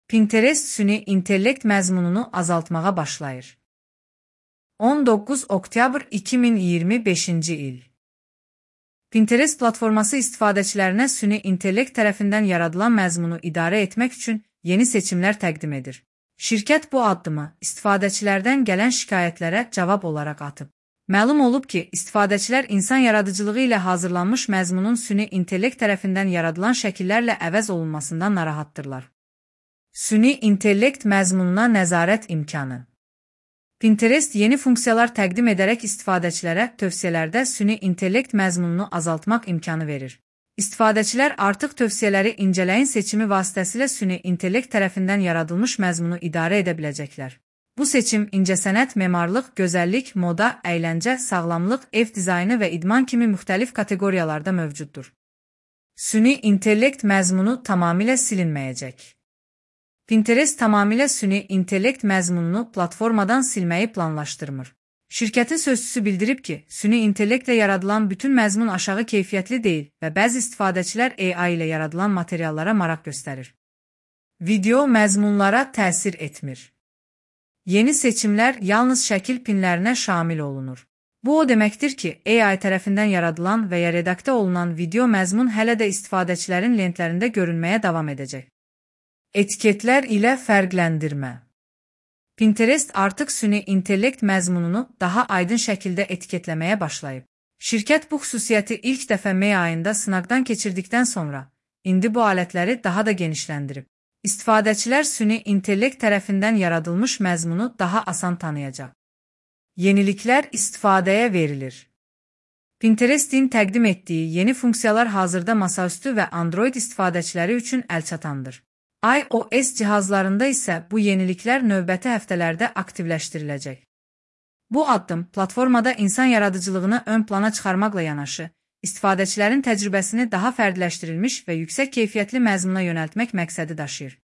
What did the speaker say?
Pinterest süni intellekt məzmununu azaltmağa başlayır. 19 oktyabr 2025-ci il. Pinterest platforması istifadəçilərinə süni intellekt tərəfindən yaradılan məzmunu idarə etmək üçün yeni seçimlər təqdim edir. Şirkət bu addımı istifadəçilərdən gələn şikayətlərə cavab olaraq atıb. Məlum olub ki, istifadəçilər insan yaradıcılığı ilə hazırlanmış məzmunun süni intellekt tərəfindən yaradılan şəkillərlə əvəz olunmasından narahatdırlar. Süni intellekt məzmununa nəzarət imkanı. Pinterest yeni funksiyalar təqdim edərək istifadəçilərə tövsiyələrdə süni intellekt məzmununu azaltmaq imkanı verir. İstifadəçilər artıq tövsiyələri incələyin seçimi vasitəsilə süni intellekt tərəfindən yaradılmış məzmunu idarə edə biləcəklər. Bu seçim incəsənət, memarlıq, gözəllik, moda, əyləncə, sağlamlıq, ev dizaynı və idman kimi müxtəlif kateqoriyalarda mövcuddur. Süni intellekt məzmunu tamamilə silinməyəcək. Pinterest tamamilə süni intellekt məzmununu platformadan silməyi planlaşdırmır. Şirkətin sözçüsü bildirib ki, süni intellektlə yaradılan bütün məzmun aşağı keyfiyyətli deyil və bəzi istifadəçilər AI ilə yaradılan materiallara maraq göstərir. Video məzmunlara təsir etmir. Yeni seçimlər yalnız şəkil pinlərinə şamil olunur. Bu o deməkdir ki, AI tərəfindən yaradılan və ya redaktə olunan video məzmun hələ də istifadəçilərin lentlərində görünməyə davam edəcək. Etiketlər ilə fərqləndirmə. Pinterest artıq süni intellekt məzmununu daha aydın şəkildə etiketləməyə başlayıb. Şirkət bu xüsusiyyəti ilk dəfə May ayında sınaqdan keçirdikdən sonra, indi bu alətləri daha da genişləndirib. İstifadəçilər süni intellekt tərəfindən yaradılmış məzmunu daha asan tanıyacaq. Yeniliklər istifadəyə verilir. Pinterest'in təqdim etdiyi yeni funksiyalar hazırda masaüstü və Android istifadəçiləri üçün əlçatandır. iOS cihazlarında isə bu yeniliklər növbəti həftələrdə aktivləşdiriləcək. Bu addım platformada insan yaradıcılığını ön plana çıxarmaqla yanaşı, istifadəçilərin təcrübəsini daha fərdiləşdirilmiş və yüksək keyfiyyətli məzmuna yönəltmək məqsədi daşıyır.